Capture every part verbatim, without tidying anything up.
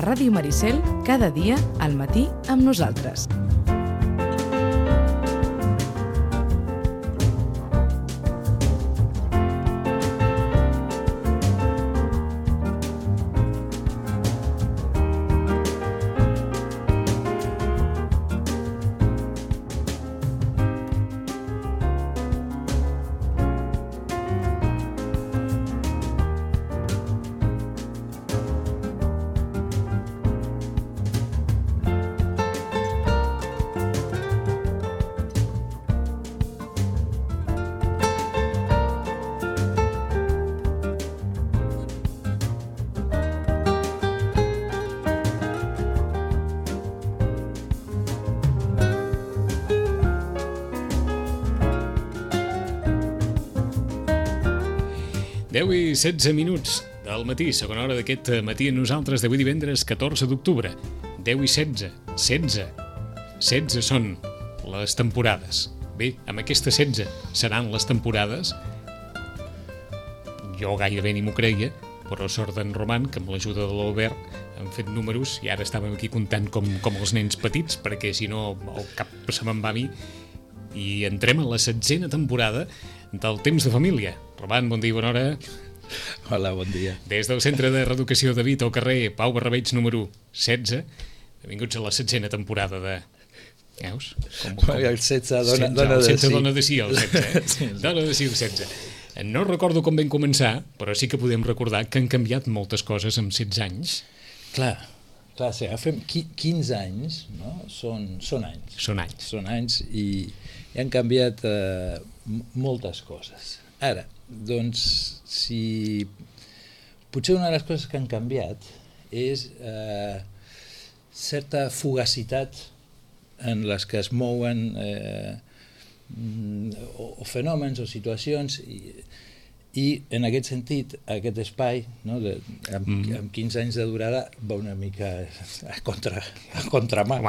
Ràdio Maricel, cada dia, al matí, amb nosaltres. deu i setze minuts del matí, segona hora d'aquest matí a nosaltres d'avui divendres catorze d'octubre. deu i setze, setze. setze són les temporades. Bé, amb aquestes setze seran les temporades. Jo gairebé ni m'ho creia, però sort d'en Roman, que amb l'ajuda de l'Albert han fet números i ara estàvem aquí comptant com, com els nens petits, perquè si no el cap se me'n va a mi. I entrem a la setzena temporada del Temps de Família. Roman, bon dia i bona hora. Hola, bon dia. Des del Centre de Reeducació David, al carrer Pau Barrabeig número setze. Benvinguts a la setzena temporada de... Veus? Com, com... El setze dona, setze, dona el de setze sí. dona de sí, el setze. Eh? Sí, dona de sí, el setze. No recordo com vam començar, però sí que podem recordar que han canviat moltes coses en setze anys. Clar, clar, si agafem quinze anys, no? Són, són anys. Són anys. Són anys i, i han canviat eh, moltes coses. Ara, doncs, si... Potser una de les coses que han canviat és eh, certa fugacitat en les que es mouen eh, o, o fenòmens o situacions i, i en aquest sentit aquest espai, no, de, amb, mm. amb quinze anys de durada va una mica a, contra, a contramà,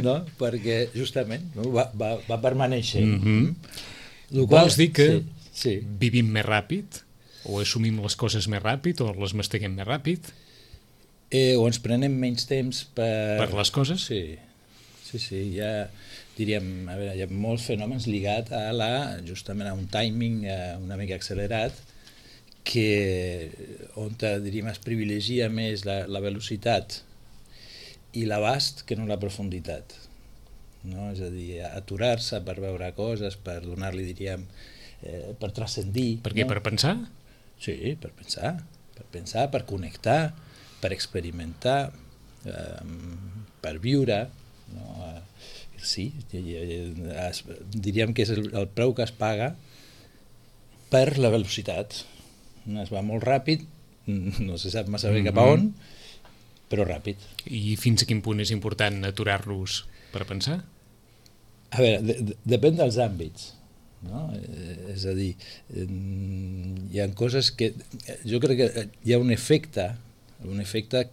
no? Perquè justament no, va, va, va permanèixer. Mm-hmm. Vols dir que sí, sí. vivim més ràpid? O assumim les coses més ràpid? O les masteguem més ràpid? Eh, o ens prenem menys temps per... Per les coses? Sí, sí, sí. Hi ha, diríem, a veure, hi ha molts fenòmens lligats a la, justament a un timing eh, una mica accelerat, que on diríem es privilegia més la, la velocitat i l'abast que no la profunditat. No? És a dir, aturar-se per veure coses, per donar-li, diríem, eh, per transcendir. Per què? No? Per pensar? Sí, per pensar, per pensar, per connectar, per experimentar, eh, per viure. No? Sí, diríem que és el, el preu que es paga per la velocitat. Es va molt ràpid, no se sap massa bé cap a on, però ràpid. I fins a quin punt és important aturar-los per pensar? A veure, de, de, depèn dels àmbits. No? Eh, és a dir, eh, hi ha coses que... Jo crec que hi ha un efecte, un efecte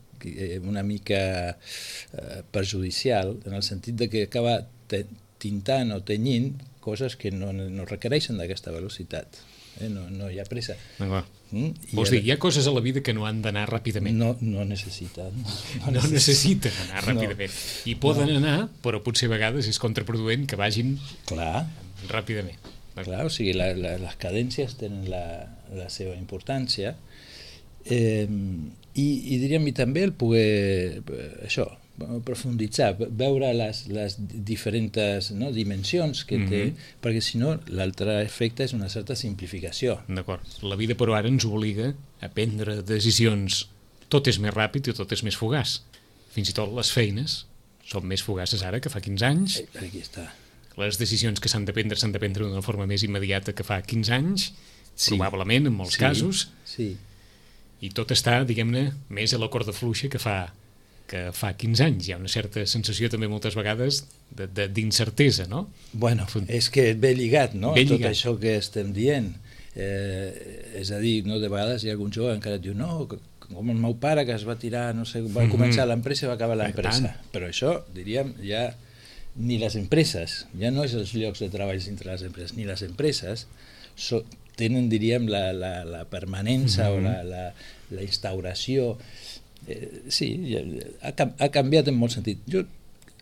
una mica eh, perjudicial, en el sentit de que acaba te, tintant o tenyint coses que no, no requereixen d'aquesta velocitat. Eh? No, no hi ha pressa. Mm? Vols dir, hi ha coses a la vida que no han d'anar ràpidament? No, no necessiten. No, no necessiten anar ràpidament. No. I poden no. anar, però potser a vegades és contraproduent que vagin Clar. ràpidament. Clar, o sigui, la, la, les cadències tenen la, la seva importància eh, i, i diríem i també el poder, això, profunditzar, veure les, les diferents no, dimensions que té, mm-hmm. perquè si no l'altre efecte és una certa simplificació. D'acord. La vida però ara ens obliga a prendre decisions. Tot és més ràpid i tot és més fugaç. Fins i tot les feines són més fugaces ara que fa quinze anys. Aquí està. Les decisions que s'han de prendre s'han de prendre d'una forma més immediata que fa quinze anys, sí. probablement, en molts sí. casos. Sí. I tot està, diguem-ne, més a la corda fluixa que fa, que fa quinze anys. Hi ha una certa sensació també moltes vegades de, de, d'incertesa, no? Bueno, és que ve lligat, no? Ve tot lligat. Això que estem dient. Eh, és a dir, no, de vegades hi ha algun jove encara et diu no, com el meu pare que es va tirar, no sé, va mm-hmm. començar l'empresa i va acabar l'empresa. Però això, diríem, ja ni les empreses, ja no és els llocs de treball entre les empreses, ni les empreses so, tenen, diríem, la, la, la permanència mm-hmm. o la, la, la instauració eh, sí, ha, ha canviat en molt sentit. Jo,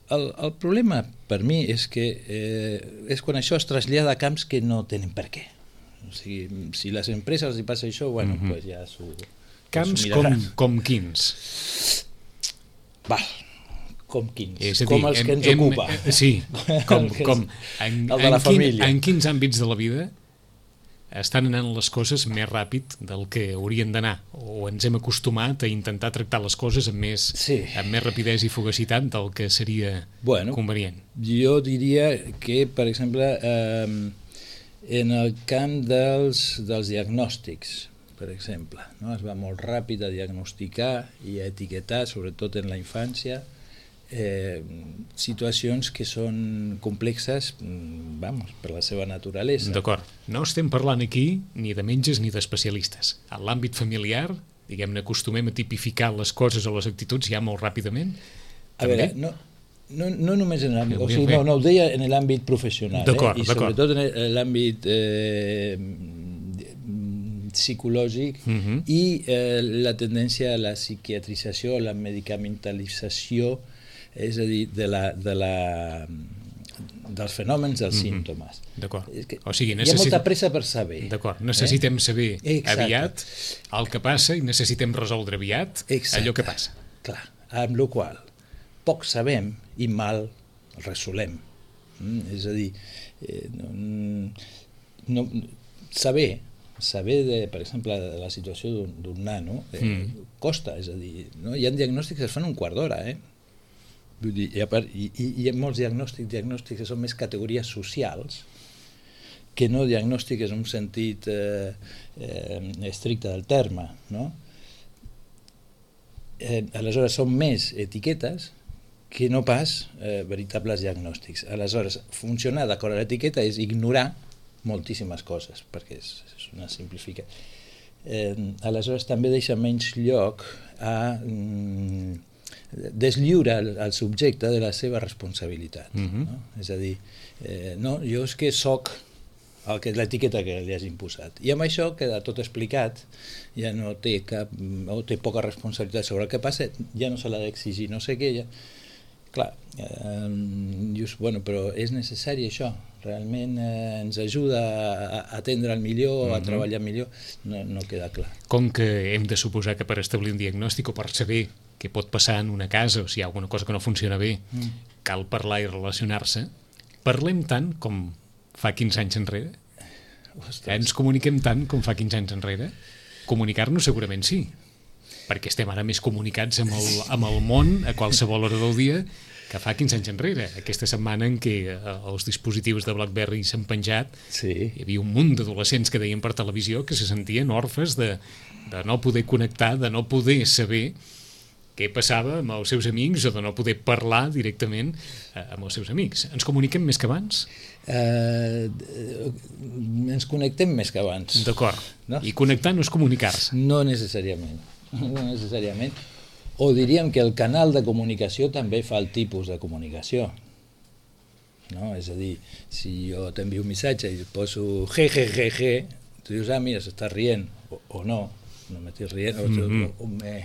el, el problema per mi és que eh, és quan això es trasllada a camps que no tenen per què. O sigui, si les empreses els hi passa això, bueno, mm-hmm. pues ja s'ho camps com, com quins? Val, com quins, dir, com els que ens hem, ocupa. Hem, sí, com, com en, el de la en, família. Quin, en quins àmbits de la vida estan anant les coses més ràpid del que haurien d'anar, o ens hem acostumat a intentar tractar les coses amb més, sí. amb més rapidesa i fugacitat del que seria bueno, convenient. Jo diria que, per exemple, eh, en el camp dels, dels diagnòstics, per exemple, no? Es va molt ràpid a diagnosticar i a etiquetar, sobretot en la infància, eh, situacions que són complexes, vamos, per la seva naturalesa. D'acord. No estem parlant aquí ni de metges ni d'especialistes. En l'àmbit familiar, diguem-ne, acostumem a tipificar les coses o les actituds ja molt ràpidament. A també? veure, no, no, no només en l'àmbit, o sigui, no, no ho deia en l'àmbit professional, eh? I sobretot en l'àmbit eh, psicològic uh-huh. i eh, la tendència a la psiquiatrització, a la medicamentalització, és a dir, de la, de la, dels fenòmens, dels mm-hmm. símptomes. D'acord. O sigui, necessit... Hi ha molta pressa per saber. D'acord. Necessitem eh? saber Exacte. aviat el que passa i necessitem resoldre aviat Exacte. allò que passa. Clar, amb la qual poc sabem i mal resolem. Mm? És a dir, eh, no, no, saber saber, de, per exemple, de la situació d'un nano eh, mm. costa, és a dir, no? Hi ha diagnòstics que es fan un quart d'hora, eh? Vull dir, i, part, i, i hi ha molts diagnòstics, diagnòstics que són més categories socials que no diagnòstics en un sentit eh, eh, estricte del terme, no? Eh, aleshores són més etiquetes que no pas eh, veritables diagnòstics. Aleshores, funcionar d'acord a l'etiqueta és ignorar moltíssimes coses, perquè és, és una simplifica. Eh, aleshores també deixa menys lloc a mm, deslliure el, el subjecte de la seva responsabilitat. Mm-hmm. No? És a dir, eh, no, jo és que soc el que és l'etiqueta que li hagin posat. I amb això queda tot explicat, ja no té cap, o té poca responsabilitat sobre el que passa, ja no se l'ha d'exigir no sé què, ja... Clar, eh, just, bueno, però és necessari això, realment eh, ens ajuda a, a atendre el millor, a treballar millor, no, no queda clar. Com que hem de suposar que per establir un diagnòstic o per saber què pot passar en una casa o si hi ha alguna cosa que no funciona bé, mm. cal parlar i relacionar-se, parlem tant com fa quinze anys enrere? Ostres. Ens comuniquem tant com fa quinze anys enrere? Comunicar-nos segurament sí, perquè estem ara més comunicats amb el, amb el món a qualsevol hora del dia que fa quinze anys enrere. Aquesta setmana en què els dispositius de BlackBerry s'han penjat, sí. Hi havia un munt d'adolescents que deien per televisió que se sentien orfes de, de no poder connectar, de no poder saber què passava amb els seus amics o de no poder parlar directament amb els seus amics. Ens comuniquem més que abans? Uh, ens connectem més que abans. D'acord. No? I connectar no és comunicar-se? No necessàriament. No necessàriament. O diríem que el canal de comunicació també fa el tipus de comunicació. No? És a dir, si jo t'envio un missatge i et poso je, je, je, je, tu dius, ah, mira, s'està rient, o, o no, no m'estic rient, o, mm-hmm. o, o m'he...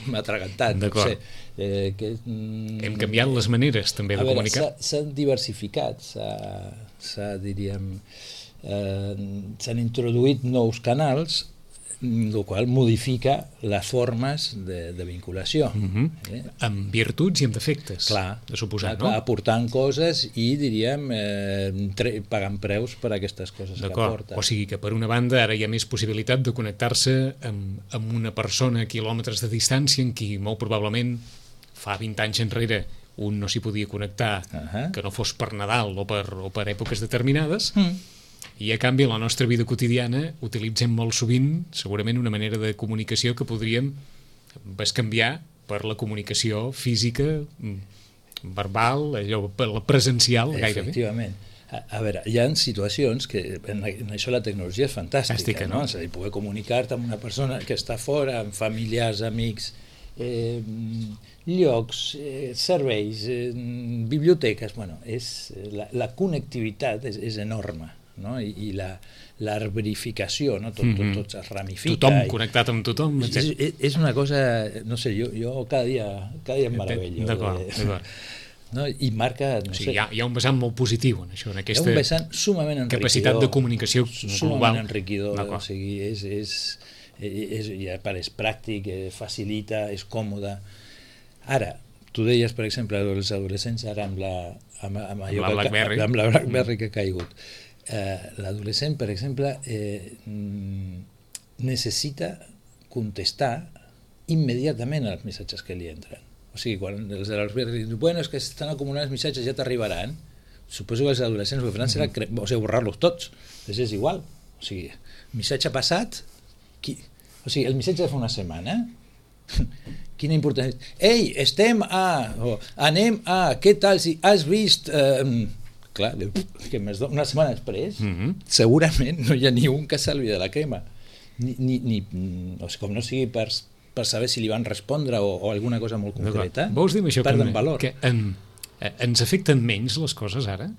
m'ha atragantat, no sé. Eh, que, mm, Hem canviat les maneres també de veure, comunicar. S'han diversificat, s'ha, diríem, eh, s'han introduït nous canals, el qual modifica les formes de, de vinculació. Mm-hmm. eh? Amb virtuts i amb defectes, clar, de suposar, clar, no? Aportant coses i, diríem, eh, tre- pagant preus per a aquestes coses que aporten. O sigui que, per una banda, ara hi ha més possibilitat de connectar-se amb, amb una persona a quilòmetres de distància en qui, molt probablement, fa vint anys enrere un no s'hi podia connectar, uh-huh. que no fos per Nadal o per, o per èpoques determinades, mm. i a canvi a la nostra vida quotidiana utilitzem molt sovint segurament una manera de comunicació que podríem bescanviar per la comunicació física, verbal, allò, la presencial gairebé. Efectivament. A, a veure, hi ha situacions que en, en això la tecnologia és fantàstica, Fàstica, no? no? És a dir, poder comunicar-te amb una persona que està fora, amb familiars, amics, eh, llocs, eh, serveis, eh, biblioteques, bueno, és, la, la connectivitat és, és enorme. no? I, i la, l'arborificació, no? Tot, tot, tot es ramifica. Tothom i... connectat amb tothom, etcètera. És, és una cosa, no sé, jo, jo cada dia, cada dia em meravello. D'acord, eh, d'acord. No? I marca, no O sigui, sé, hi ha, hi ha un vessant molt positiu en això, en hi ha aquesta un vessant sumament enriquidor. capacitat de comunicació global. Sumament enriquidor, o D'acord. sigui, és, és, és, ja, part, és pràctic, eh, facilita, és còmode. Ara, tu deies, per exemple, els adolescents ara amb la, amb, amb allò Amb la que- BlackBerry. amb la BlackBerry que ha caigut. Eh, l'adolescent, per exemple, eh, mm, necessita contestar immediatament als missatges que li entren. O sigui, quan els de l'Albert diuen, bueno, és que estan acumulant els missatges, ja t'arribaran, suposo que els adolescents el que faran serà cre- o sigui, borrar-los tots, és, és igual. O sigui, missatge passat, qui... o sigui, el missatge de fa una setmana, quina importància. Ei, estem a... o anem a... Què tal si has vist... Eh, clar, que més do... una setmana després, Mhm. segurament no hi ha ni un que salvi de la crema. Ni, ni, ni, o sigui, com no sigui per, per saber si li van respondre o, o alguna cosa molt concreta, Vols dir això perden que, valor. que en, eh, ens afecten menys les coses ara?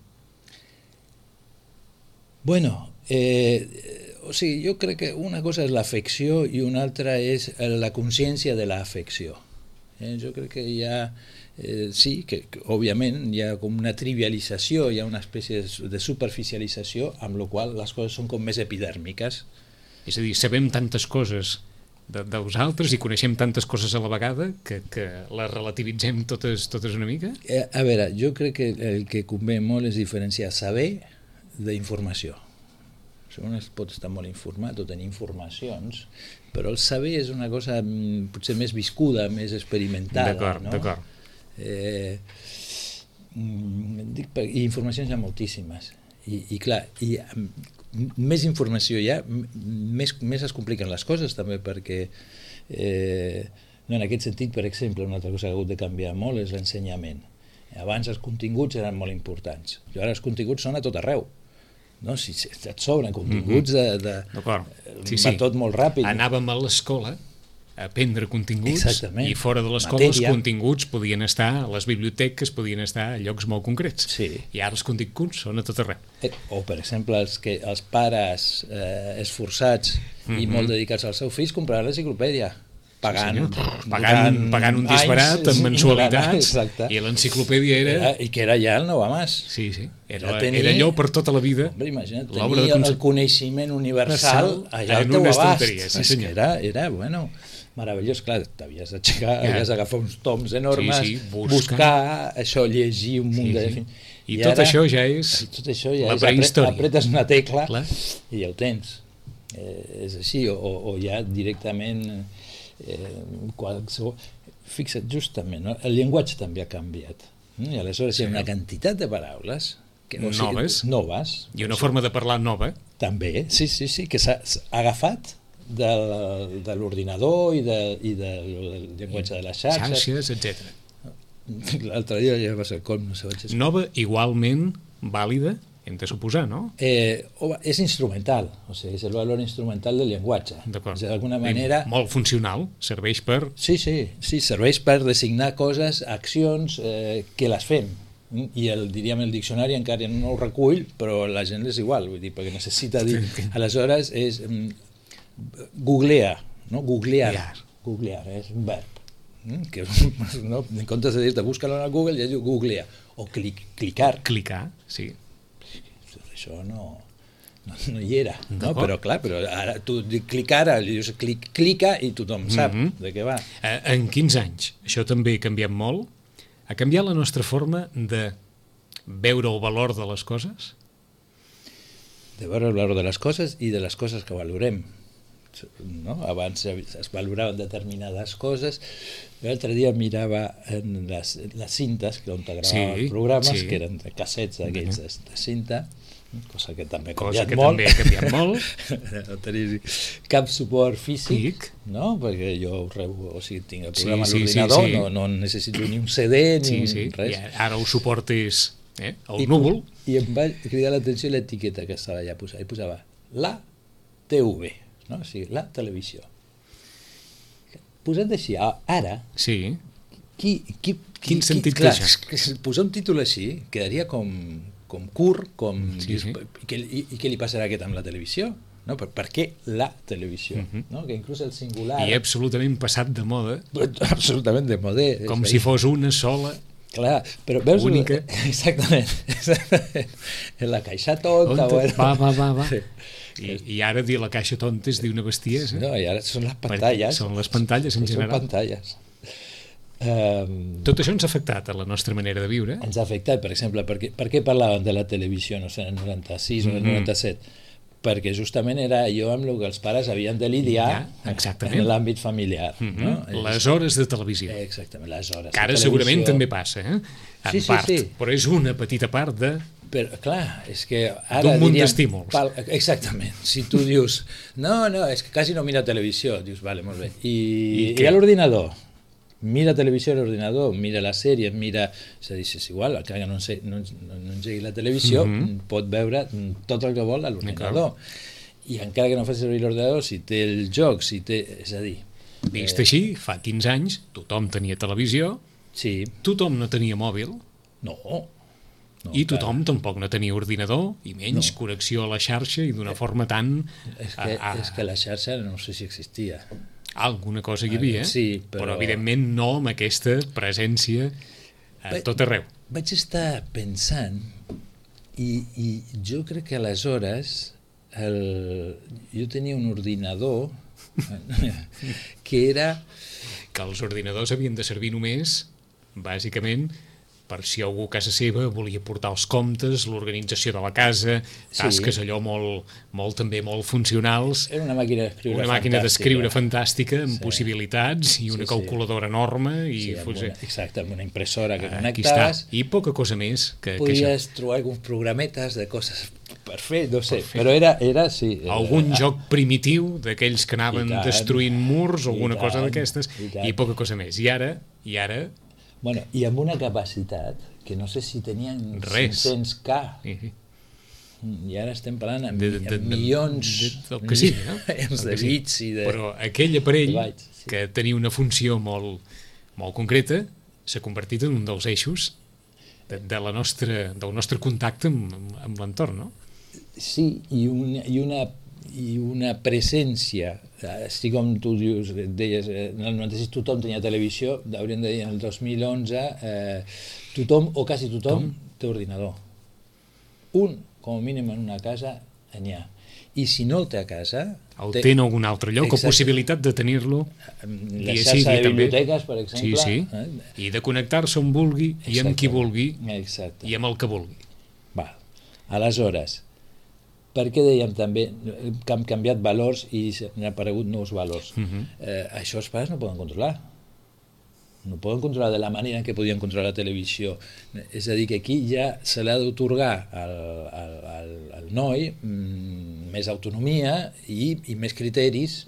Bueno, eh, o sigui, jo crec que una cosa és l'afecció i una altra és la consciència de l'afecció. Eh, jo crec que hi ha, eh, sí, que, que òbviament hi ha com una trivialització, hi ha una espècie de superficialització, amb la qual les coses són com més epidèrmiques. És a dir, sabem tantes coses de, de vosaltres i coneixem tantes coses a la vegada que, que les relativitzem totes, totes una mica? Eh, a veure, jo crec que el que convé molt és diferenciar saber d'informació. Un es pot estar molt informat o tenir informacions, però el saber és una cosa mm, potser més viscuda, més experimentada. D'acord, no? d'acord. Eh, mm, dic, per- I informacions hi ha moltíssimes. I, i clar, i, mm, més informació hi ha, m- més, més es compliquen les coses també, perquè eh, no, en aquest sentit, per exemple, una altra cosa que ha hagut de canviar molt és l'ensenyament. Abans els continguts eren molt importants, i ara els continguts són a tot arreu. No? Si, si et sobren continguts de, de, D'acord. Sí, va sí. tot molt ràpid. Anàvem a l'escola a aprendre continguts. Exactament. I fora de l'escola els Matèria. continguts podien estar a les biblioteques, podien estar a llocs molt concrets. Sí. I ara els continguts són a tot arreu. Eh, O, per exemple, els, que, els pares eh, esforçats mm -hmm. i molt dedicats als seus fills compraran l'enciclopèdia, pagant, Sí, pagant, pagant un disbarat anys, amb mensualitats, exacte. i l'enciclopèdia era... Era, i que era ja el nou a mas. Sí, sí, era, Era tenir- era allò per tota la vida. Hombre, imagina't, L'obra tenir de el conce- coneixement universal allà en al teu una abast. estanteria, sí, És senyor. que era, era, bueno, meravellós, clar, t'havies d'aixecar, Ja. havies d'agafar uns toms enormes, Sí, sí, buscar. buscar, això, llegir un munt Sí, de... sí. I, tot això ja és I tot això ja la és, apre- prehistòria. apretes una tecla Clar. i ja ho tens. Eh, és així, o, o ja directament eh, qualsevol... Fixa't, justament, no? El llenguatge també ha canviat. Mm? I aleshores hi ha una quantitat de paraules que, o sigui, Noves. noves i una forma de parlar nova. també, sí, sí, sí, que s'ha s'ha agafat de, de l'ordinador i, de, i del llenguatge de les xarxes. Xarxes, etcètera. L'altre dia ja va ser el colm, no sé, vaig Nova, igualment vàlida, hem de suposar, no? Eh, o- és instrumental, o sigui, és el valor instrumental del llenguatge. D'acord. És d'alguna manera... Molt funcional, serveix per... Sí, sí, sí, serveix per designar coses, accions eh, que les fem. Mm? I el, diríem, el diccionari encara no ho recull, però la gent és igual, vull dir, perquè necessita dir... Aleshores és... Mm, googlea, no? Googlear. Googlear. Googlear, és un verb. Mm? Que, no? En comptes de dir-te, busca-lo al Google, ja diu googlea. O clic, clicar. Clicar, sí. Això no, no, no hi era, no? D'acord. Però clar, però ara tu dic clicar, ara li dius clic, clica i tothom sap Mhm. de què va. Eh, En quinze anys, això també ha canviat molt. Ha canviat la nostra forma de veure el valor de les coses? De veure el valor de les coses i de les coses que valorem. No? Abans es valoraven determinades coses. L'altre dia mirava en les, les cintes, que on t'agradaven Sí, programes, sí. que eren de cassets d'aquells de, de cinta, cosa que també ha Cosa canviat que molt. també ha canviat molt. No tenir cap suport físic, Físic. no? Perquè jo ho rebo, o sigui, tinc el Sí, programa sí, a sí, l'ordinador, sí. no, no necessito ni un C D ni Sí, un, sí. res. I ara el suport és eh, el I, núvol. I em va cridar l'atenció l'etiqueta que estava allà posada. I posava la T V, no? O sigui, la televisió. Posat així, a- ara, Sí. qui, qui, Quin qui, sentit clar, té això? és que posar un títol així quedaria com, com curt, com... Sí, dius, sí. I, què, i, I què li passarà a aquest amb la televisió? No? Per, per què la televisió? Mhm. No? Que inclús el singular... I absolutament passat de moda, Absolutament de modè. com si fos una sola. Clar, però veus... Única. Exactament. exactament. En la caixa tonta... On Bueno. va, va, va, va. Sí. I, I ara dir la caixa tonta és dir una bestiesa. No, i ara són les Perquè pantalles. són les pantalles en Són general. pantalles. Um, Tot això ens ha afectat a la nostra manera de viure. ens ha afectat, per exemple, per què, per què parlàvem de la televisió, no sé, en el noranta-sis o el Mhm. noranta-set? Perquè justament era allò amb el que els pares havien de lidiar Ja, exactament. en l'àmbit familiar. Mhm. no? Les hores de televisió. Exactament, les hores. Que ara de segurament televisió. també passa, eh? En Sí, sí, part, sí. però és una petita part de... Però, clar, és que ara D'un munt diríem... d'estímuls. pal- Exactament. Si tu dius, no, no, és que quasi no mira televisió, dius, vale, molt bé. I, I I, què? a l'ordinador? Mira televisió a l'ordinador, mira la sèrie, mira... És a dir, és igual, el que no, ense- no, no, no engegui la televisió, Mhm. pot veure tot el que vol a l'ordinador. I encara que no faci servir l'ordinador, si té el joc, si té... És a dir... Vist així, fa quinze anys, tothom tenia televisió, Sí, tothom no tenia mòbil, no. no i tothom tampoc no tenia ordinador, i menys No. connexió a la xarxa i d'una forma tan... És que, a- a- és que la xarxa no sé si existia. Alguna cosa hi havia, Sí, però... però- però evidentment no amb aquesta presència a Bé, tot arreu. Vaig estar pensant i, i jo crec que aleshores el, jo tenia un ordinador que era Que els ordinadors havien de servir només, bàsicament, per si algú a casa seva volia portar els comptes, l'organització de la casa, tasques Sí. allò molt, molt també molt funcionals, era una màquina d'escriure una màquina d'escriure fantàstica. fantàstica amb Sí. possibilitats i una Sí, sí. calculadora enorme i Sí, amb fos, una, exacte, amb una impressora que aquí està, connectaves, i poca cosa més que, que això. podies trobar alguns programetes de coses per fer, no sé, però era, era sí. Era, Algun joc primitiu d'aquells que anaven I tant. destruint murs o I alguna cosa tant, d'aquestes i tant. i poca cosa més. I ara, i ara Bueno, i amb una capacitat que no sé si tenien Res. cinc-cents K, i, i ara estem parlant amb, De- de- de- amb milions de- del que sigui, no? milions Del de que sigui. bits i de... Però aquell aparell de bytes, sí. que tenia una funció molt, molt concreta s'ha convertit en un dels eixos de, de la nostra, del nostre contacte amb, amb l'entorn, no? Sí, i una, i una, i una presència, així com tu dius, deies, eh, en el noranta-sis tothom tenia televisió, hauríem de dir en el dos mil onze, eh, tothom, o quasi tothom, té ordinador. Un, com a mínim en una casa, n'hi ha. I si no el té a casa... El té en algun altre lloc, o Exacte. possibilitat de tenir-lo La dia xarxa sí, dia de també. biblioteques, per exemple... Sí, sí. Eh? I de connectar-se on vulgui i amb qui Exacte. vulgui Exacte. i amb el que vulgui. Val. Aleshores, per què dèiem també que han canviat valors i han aparegut nous valors? Mhm. eh, això els pares no poden controlar. No poden controlar de la manera en què podien controlar la televisió. És a dir, que aquí ja se l'ha d'autorgar al, al, al, al noi mm, més autonomia i, i més criteris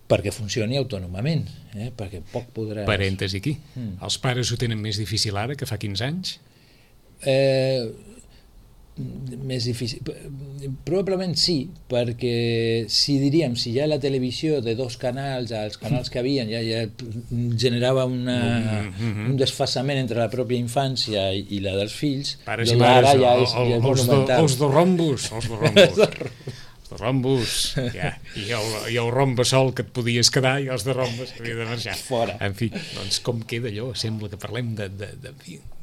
perquè funcioni autònomament, eh? Perquè poc podrà... Parèntesi aquí. Mm. Els pares ho tenen més difícil ara que fa quinze anys? Eh, més difícil. Probablement sí, perquè si diríem, si ja la televisió de dos canals, els canals que havien, ja, ja generava una, Mhm. un desfasament entre la pròpia infància i, i la dels fills, Pares i i ara mares, ja el- és, el- ja és els, de, monumental. els de rombos, els de rombos. Els de rombos, ja. I el, i el rombe sol que et podies quedar i els de rombes havia de marxar. Fora. En fi, doncs com queda allò? Sembla que parlem de, de, de,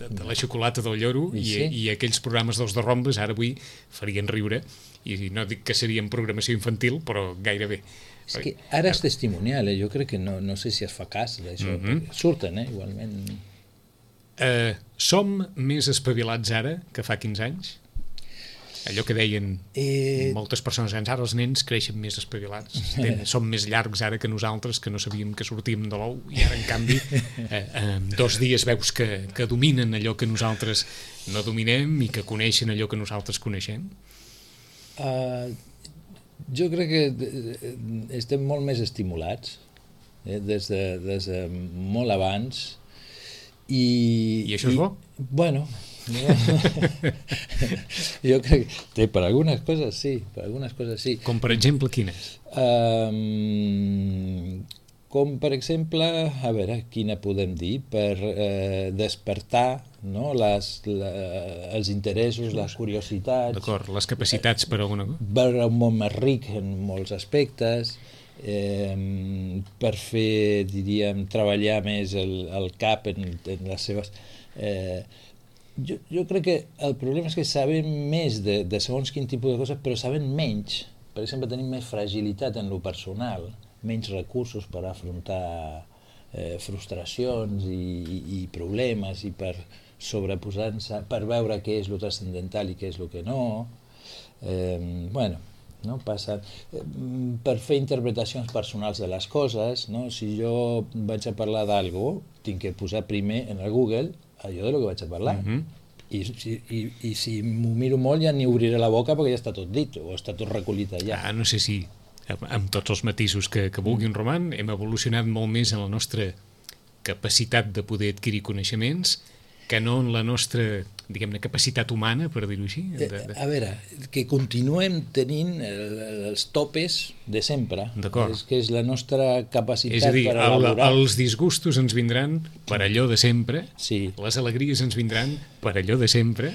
de, de la xocolata del lloro I i, sí. i aquells programes dels de rombes ara avui farien riure i no dic que serien programació infantil, però gairebé. És que ara és testimonial, eh? Jo crec que no, no sé si es fa cas d'això, Mhm. perquè surten, eh? Igualment. Eh, som més espavilats ara que fa quinze anys? Allò que deien Eh, moltes persones grans, ara els nens creixen més espavilats, Ten, són més llargs ara que nosaltres, que no sabíem que sortíem de l'ou, i ara, en canvi, eh, en dos dies veus que, que dominen allò que nosaltres no dominem i que coneixen allò que nosaltres coneixem. Uh, jo crec que eh, estem molt més estimulats eh, des, de, des de molt abans i... I això és bo? Bueno, jo crec que per algunes coses sí, per algunes coses sí. Com per exemple quines? Um, com per exemple, a veure, quina podem dir, per eh, despertar, no, les, la, els interessos, les curiositats. D'acord, les capacitats per a alguna cosa. Veure un món més ric en molts aspectes, eh, per fer, diríem, treballar més el, el cap en, en les seves... Eh, jo, jo crec que el problema és que sabem més de, de segons quin tipus de coses, però sabem menys. Per exemple, tenim més fragilitat en lo personal, menys recursos per afrontar eh, frustracions i, i, i problemes i per sobreposar-se, per veure què és lo transcendental i què és lo que no. Eh, bueno, no passa... Eh, per fer interpretacions personals de les coses, no? Si jo vaig a parlar d'algo, tinc que posar primer en el Google allò de lo que vaig a parlar. Mm-hmm. I, i, i si m'ho miro molt ja ni obriré la boca perquè ja està tot dit o està tot recollit allà. Ah, no sé si amb tots els matisos que, que vulgui un Roman hem evolucionat molt més en la nostra capacitat de poder adquirir coneixements que no en la nostra, diguem-ne, capacitat humana, per dir-ho així. De, de... A veure, que continuem tenint els topes de sempre. D'acord. És que és la nostra capacitat és a dir, per elaborar. El, els disgustos ens vindran per allò de sempre, sí. Les alegries ens vindran per allò de sempre,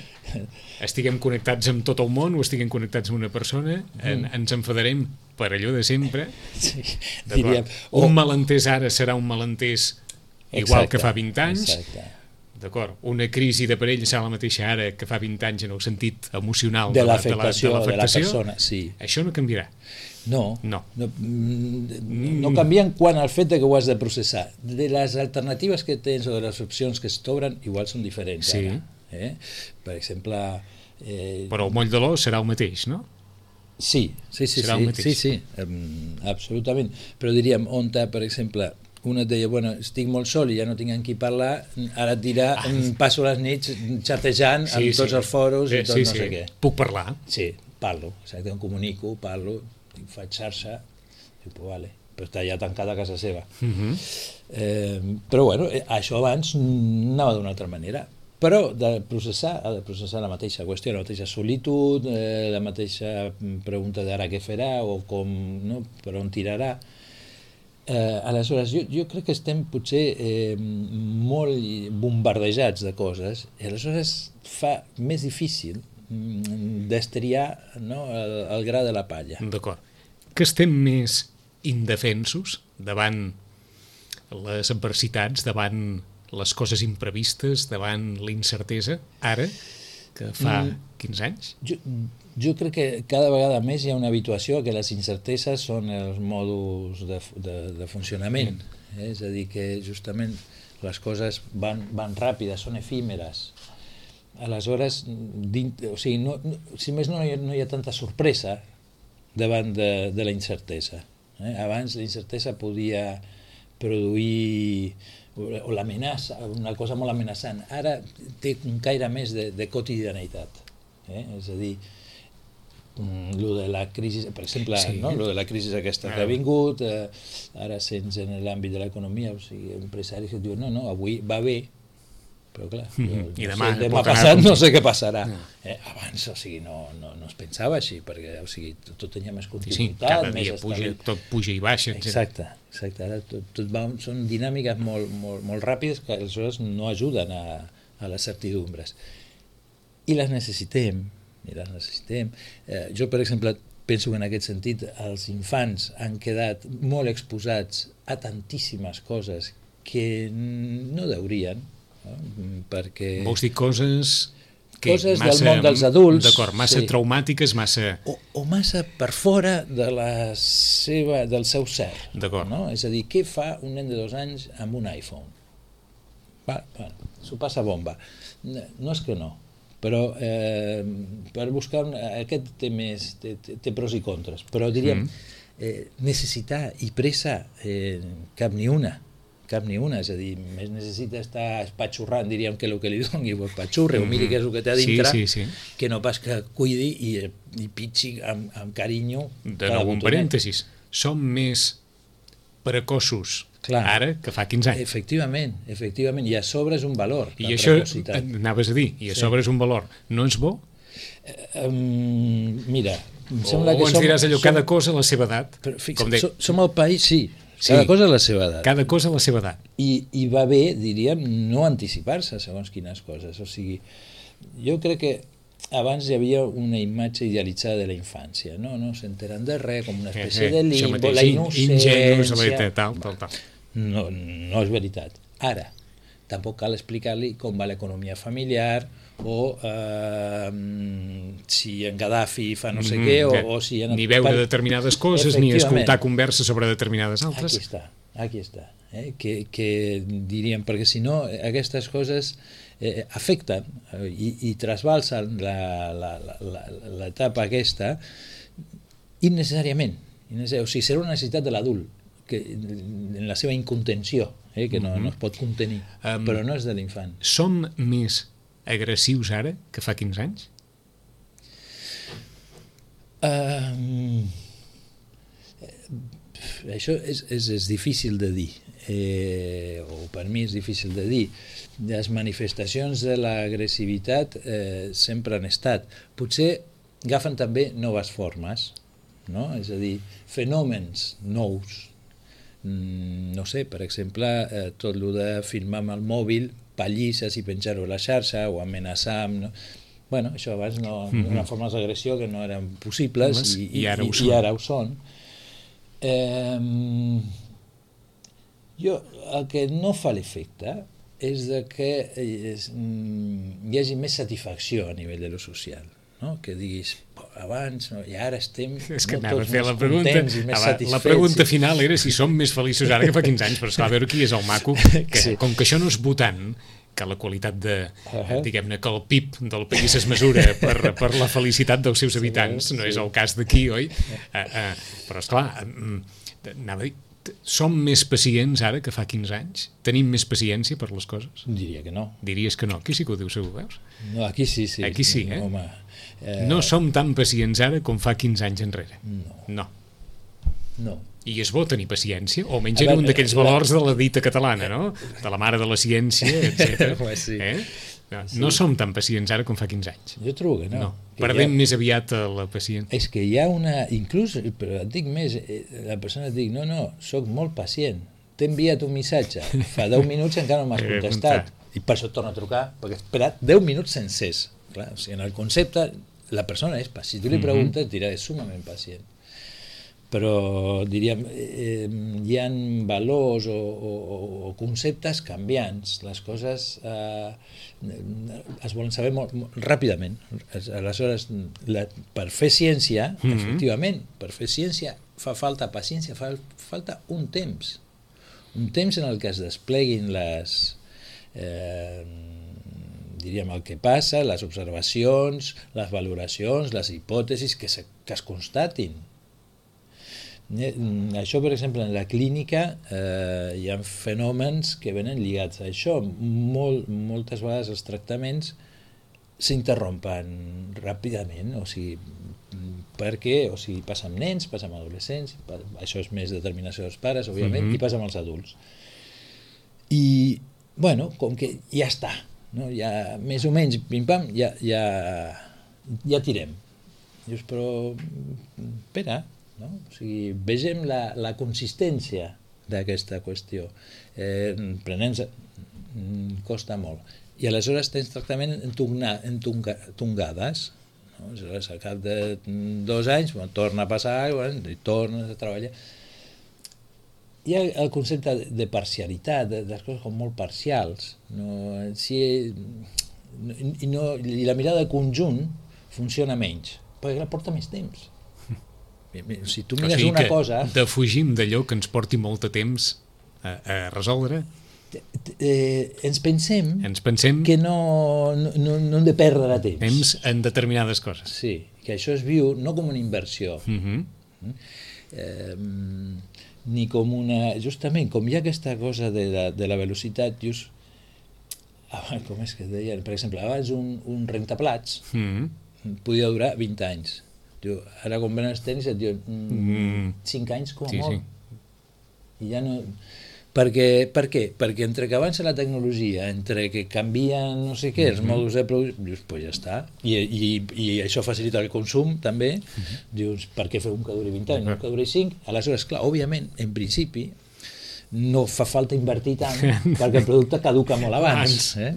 estiguem connectats amb tot el món o estiguem connectats amb una persona, en, ens enfadarem per allò de sempre. Sí, diríem, o... Un malentès ara serà un malentès igual exacte, que fa vint anys. Exacte. D'acord, una crisi de parella serà la mateixa ara que fa vint anys en el sentit emocional de l'afectació de, de, de la persona, sí. Això no canviarà. No, no. No, no canvien quan el fet de que ho has de processar. De les alternatives que tens o de les opcions que es t'obren, igual són diferents sí. ara. Eh? Per exemple... Eh... Però el moll de l'os serà el mateix, no? Sí, sí, sí, serà sí, el mateix. sí, sí, um, absolutament. Però diríem, on, per exemple... una et deia, bueno, estic molt sol i ja no tinc amb qui parlar, ara et dirà, ah, passo les nits xatejant sí, amb tots sí. els foros i tot sí, no sí. sé què. Puc parlar? Sí, parlo, exacte, em comunico, parlo, faig xarxa, i pues, vale, però està ja tancat a casa seva. Uh-huh. eh, però bueno, això abans anava d'una altra manera. Però de processar, ha de processar la mateixa qüestió, la mateixa solitud, eh, la mateixa pregunta d'ara què farà o com, no, per on tirarà. Eh, aleshores, jo, jo crec que estem potser eh, molt bombardejats de coses i aleshores fa més difícil mm, destriar, no, el, el gra de la palla. D'acord. Que estem més indefensos davant les adversitats, davant les coses imprevistes, davant la incertesa, ara, que fa mm, quinze anys? Jo, jo crec que cada vegada més hi ha una habituació a que les incerteses són els mòduls de, de, de funcionament. Mm. Eh? És a dir, que justament les coses van, van ràpides, són efímeres. Aleshores, dins, o sigui, no, no, si més no, no hi, ha, no hi ha tanta sorpresa davant de, de la incertesa. Eh? Abans la incertesa podia produir o l'amenaça, una cosa molt amenaçant. Ara té un caire més de, de quotidianitat. Eh? És a dir, lo de la crisi, per exemple, sí. no? Lo de la crisi aquesta que ha vingut, eh, ara sents en l'àmbit de l'economia, o sigui, empresaris que diuen, no, no, avui va bé, però clar, jo, mm-hmm. I no demà, sé, demà passat no sé què passarà. No. Eh, abans, o sigui, no, no, no es pensava així, perquè o sigui, tot, tot tenia més continuïtat. Sí, sí, cada dia puja, tot puja i baixa. Exacte, exacte. Ara tot, tot va, són dinàmiques molt, molt, molt ràpides que aleshores no ajuden a, a les certidumbres. I les necessitem, i les necessitem. Eh, jo, per exemple, penso que en aquest sentit els infants han quedat molt exposats a tantíssimes coses que no deurien, no? Perquè... Vols dir coses... Que coses massa, del món dels adults. D'acord, massa sí. traumàtiques, massa... O, o massa per fora de la seva, del seu ser. D'acord. No? És a dir, què fa un nen de dos anys amb un iPhone? Va, bueno, s'ho passa bomba. No és que no, però eh, per buscar... Aquest té, més, té, té pros i contres, però diríem, mm. eh, necessitar i pressa eh, cap ni una. cap ni una, és a dir, més necessita estar espatxurrant, diríem, que el que li doni pues, patxurre, mm-hmm. o miri què és el que té a dintre, sí, sí, sí. que no pas que cuidi i, i pitxi amb, amb carinyo. De nou, un parèntesis, som més precoços Clar. Ara que fa quinze anys. Efectivament, efectivament, i a sobre és un valor. I això, anaves a dir, i a sobre sí. és un valor, no és bo? Eh, um, mira, em o sembla que ens som, diràs allò, som, cada cosa a la seva edat. Però, fixa, som, som el país, sí, Sí, cada cosa a la seva edat. Cada cosa a la seva edat. I, i va bé, diríem, no anticipar-se segons quines coses. O sigui, jo crec que abans hi havia una imatge idealitzada de la infància, no, no s'enteren de res, com una espècie eh, eh, de limbo, mateix, la innocència... ingenus, tal, tal, tal. No, no és veritat. Ara, tampoc cal explicar-li com va l'economia familiar o eh, si en Gaddafi fa no sé mm, què o, eh, o si... En ni veure per... determinades coses ni escoltar converses sobre determinades altres. Aquí està, aquí està. Eh? Que, que diríem, perquè si no aquestes coses eh, afecten eh, i, i trasbalsen l'etapa aquesta innecessàriament. innecessàriament. O sigui, serà una necessitat de l'adult que en la seva incontenció, eh, que no, no es pot contenir, um, però no és de l'infant. Som més agressius ara que fa quinze anys? Um, això és, és, és difícil de dir, eh, o per mi és difícil de dir. Les manifestacions de l'agressivitat eh, sempre han estat. Potser agafen també noves formes, no? És a dir, fenòmens nous. No sé, per exemple, eh, tot el de filmar amb el mòbil pallisses i penjar-ho a la xarxa o amenaçar amb... No? Bueno, això abans no, mm-hmm. Una forma d'agressió que no eren possibles i, i, i, ara, i, ho i ara ho són. Eh, jo, el que no fa l'efecte és de que és, hi hagi més satisfacció a nivell de lo social, no? Que diguis, abans, no? I ara estem és que no, tots més la pregunta, contents i més abans, satisfets. La pregunta final era si som més feliços ara que fa quinze anys, però esclar, a veure qui és el maco, que sí. Com que això no és votant, que la qualitat de, uh-huh. diguem-ne, que el P I B del país es mesura per, per la felicitat dels seus habitants, sí, no és el cas d'aquí, oi? Uh, uh, però esclar, uh, anava a dir, som més pacients ara que fa quinze anys? Tenim més paciència per les coses? Diria que no. Diries que no? Aquí sí que ho dius, ho veus? No, aquí sí, sí. Aquí sí, eh? Home, eh... No som tan pacients ara com fa quinze anys enrere. No. No. No. I és bo tenir paciència, o almenys era un d'aquells valors de la dita catalana, no? De la mare de la ciència, etcètera. Sí. Eh? No, no sí. Som tan pacients ara com fa quinze anys. Jo trobo que no. no. Que Perdem ha... més aviat la paciència. És que hi ha una... Inclús, però et dic més, la persona et dic, no, no, soc molt pacient. T'he enviat un missatge, fa deu minuts i encara no m'has contestat. I per això et torno a trucar, perquè he esperat deu minuts sencers. Clar, o sigui, en el concepte, la persona és pacient. Si tu li preguntes, et dirà, és sumament pacient. Però, diríem, eh, hi ha valors o, o, o conceptes canviants. Les coses eh, es volen saber molt, molt ràpidament. Aleshores, la, per fer ciència, mm-hmm. efectivament, per fer ciència fa falta paciència, fa falta un temps. Un temps en el que es despleguin les... Eh, diríem, el que passa, les observacions, les valoracions, les hipòtesis que, se, que es constatin. Això, per exemple, en la clínica eh, hi ha fenòmens que venen lligats a això. Molt, moltes vegades els tractaments s'interrompen ràpidament, o sigui, perquè o sigui, passa amb nens, passa amb adolescents, això és més determinació dels pares, òbviament, mm-hmm. i passa amb els adults. I, bueno, com que ja està, no? Ja, més o menys, pim-pam, ja, ja, ja tirem. Dius, però, espera, no? O sigui, vegem la, la consistència d'aquesta qüestió. Eh, Prenent costa molt. I aleshores tens tractament entongades. No? Aleshores, al cap de dos anys bueno, torna a passar bueno, i tornes a treballar. Hi ha el concepte de parcialitat, de, de les coses com molt parcials. No? Si, i, no, I la mirada de conjunt funciona menys, perquè la porta més temps. Si tu mires o sigui una cosa... defugim d'allò que ens porti molt de temps a, a resoldre. Eh, ens pensem, ens pensem que no, no, no hem de perdre temps. Temps en determinades coses. Sí, que això es viu no com una inversió, uh-huh. eh, ni com una... Justament, com hi ha aquesta cosa de la, de la velocitat, just, com és que es deia? Per exemple, abans un, un rentaplats uh-huh. podia durar vint anys. Diu, ara quan venen els tenis et diuen mm, cinc anys com a sí, molt sí. I ja no... Perquè, per què? Perquè entre que avança la tecnologia, entre que canvien no sé què, els mòduls de producció, dius, pues ja està, i, i, i això facilita el consum també, uh-huh. dius, per què fer un que duri vint anys, un que duri cinc? Aleshores, clar, òbviament, en principi, no fa falta invertir tant perquè el producte caduca molt abans. Eh?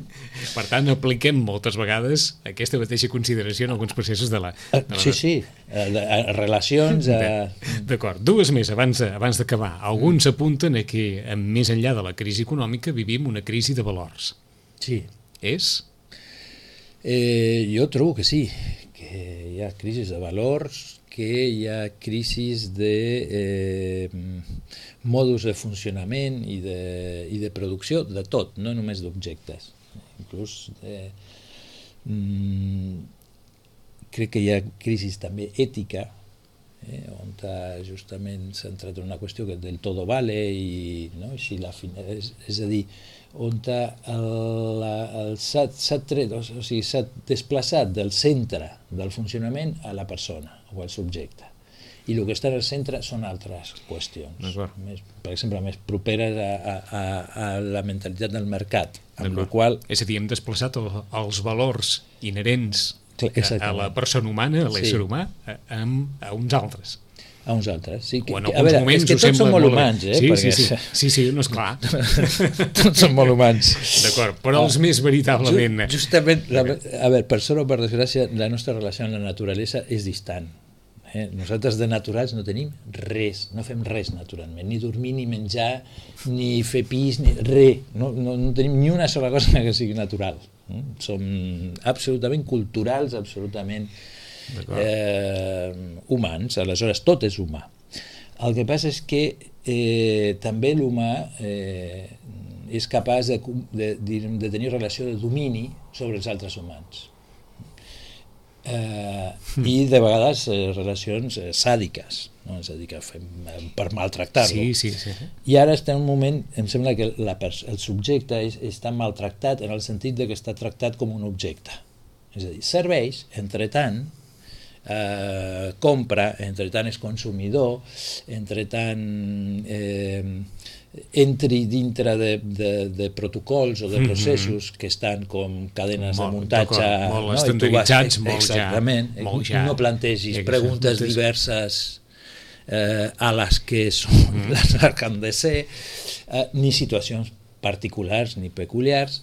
Per tant, apliquem moltes vegades aquesta mateixa consideració en alguns processos de la... De la... Sí, sí, a, a relacions... A... D'acord, dues més abans de, abans d'acabar. Alguns apunten a que, més enllà de la crisi econòmica, vivim una crisi de valors. Sí. És? Eh, jo trobo que sí, que hi ha crisis de valors, que hi ha crisis de eh, modus de funcionament i de, i de producció, de tot, no només d'objectes. Inclús eh, mm, crec que hi ha crisis també ètica, eh, on justament s'ha entrat en una qüestió que del todo vale, i no, així la fina, és, és a dir, on s'ha tret, o sigui, s'ha desplaçat del centre del funcionament a la persona o al subjecte. I el que està al centre són altres qüestions, més, per exemple, més properes a, a, a la mentalitat del mercat. Amb la qual... És a dir, hem desplaçat el, els valors inherents a, a la persona humana, a l'ésser sí. humà, a, a, a uns altres. A uns altres, sí. Que, o en a veure, és que tots són molt humans, eh? Sí, perquè... sí, sí, sí, sí, no és clar. Tots són molt humans. D'acord, però els més veritablement... Just, justament, la, a veure, per sort o per desgràcia, la nostra relació amb la naturalesa és distant. Eh? Nosaltres de naturals no tenim res, no fem res naturalment, ni dormir, ni menjar, ni fer pis, ni res. No, no, no tenim ni una sola cosa que sigui natural. Eh? Som absolutament culturals, absolutament... Eh, humans, aleshores tot és humà. El que passa és que eh, també l'humà eh, és capaç de, de, de tenir relació de domini sobre els altres humans, eh, i de vegades eh, relacions eh, sàdiques, no? És a dir, que fem per maltractar-lo. Sí, sí, sí. I ara està en un moment, em sembla que la, el subjecte és, està maltractat en el sentit de que està tractat com un objecte, és a dir, serveix, entre tant, Eh, compra, entre tant és consumidor, entre tant eh, entri dintre de, de, de protocols o de processos mm-hmm. que estan com cadenes molt, de muntatge molt no? estandarditzats, vas, molt exactament, ja, molt ja. No plantegis exacte. Preguntes diverses eh, a les que són mm. les que han de ser, eh, ni situacions particulars ni peculiars.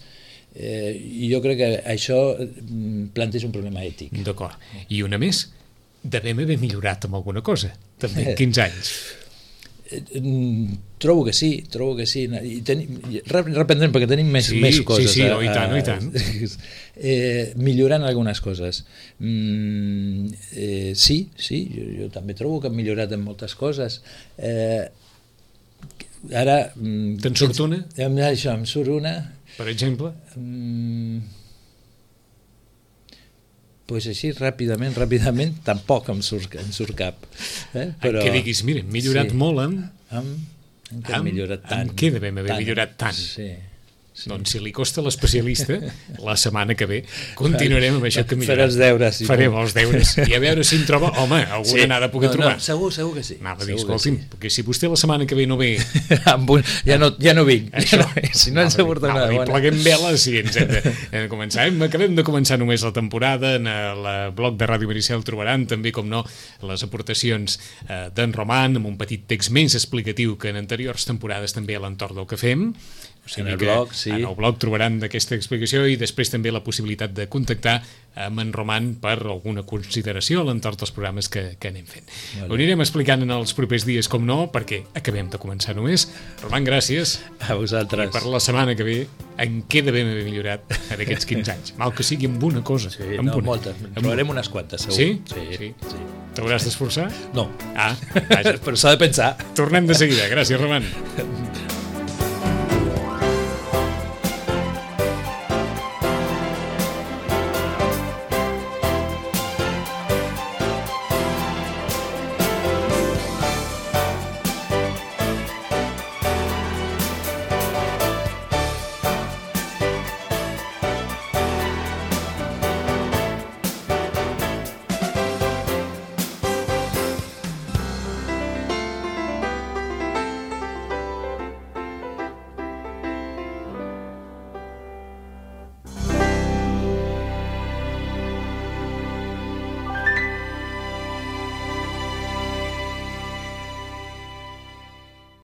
Eh, jo crec que això planteja un problema ètic. D'acord. I una més, devem haver millorat amb alguna cosa, també en quinze anys. Eh, trobo que sí, trobo que sí. I tenim, reprendrem perquè tenim més, sí, més coses. Sí, sí, a, oh, i tant, oh, i tant. Eh, millorant algunes coses. Mm, eh, sí, sí, jo, jo també trobo que hem millorat en moltes coses. Eh, ara... Te'n surt una? Això, em surt una... Per exemple? Mm, pues així, ràpidament, ràpidament, tampoc em surt, em surt cap. Eh? Però, que diguis, mira, hem millorat sí, molt amb... Amb, amb què hem millorat tant. Amb què devem haver tant, millorat tant? Sí. Sí. Doncs si li costa l'especialista, la setmana que ve continuarem amb això que millorem. Faré els deures. Si Farem els deures i a veure si en troba, home, alguna sí. anada poder no, trobar. No, segur, segur que sí. Anava a dir, escolti'm, sí. perquè si vostè la setmana que ve no ve... un, ja, no, ja no vinc. Això, ja no, si no ens ha portat una bona. Pleguem veles i ens hem de, hem de començar. Hem, acabem de començar només la temporada. En el blog de Ràdio Maricel trobaran també, com no, les aportacions eh, d'en Roman, amb un petit text més explicatiu que en anteriors temporades també a l'entorn del que fem. O sigui en el blog, sí. En el blog trobaran d'aquesta explicació i després també la possibilitat de contactar amb en Roman per alguna consideració a l'entorn dels programes que, que anem fent. Vale. Ho anirem explicant en els propers dies, com no, perquè acabem de començar només. Roman, gràcies. A vosaltres. I per la setmana que ve, en què devem haver millorat en aquests quinze anys? Mal que sigui amb una cosa. Sí, amb no, una. moltes. En trobarem unes quantes, segur. Sí? Sí. sí. sí. T'hauràs d'esforçar? No. Ah, vaja. Però s'ha de pensar. Tornem de seguida. Gràcies, Roman.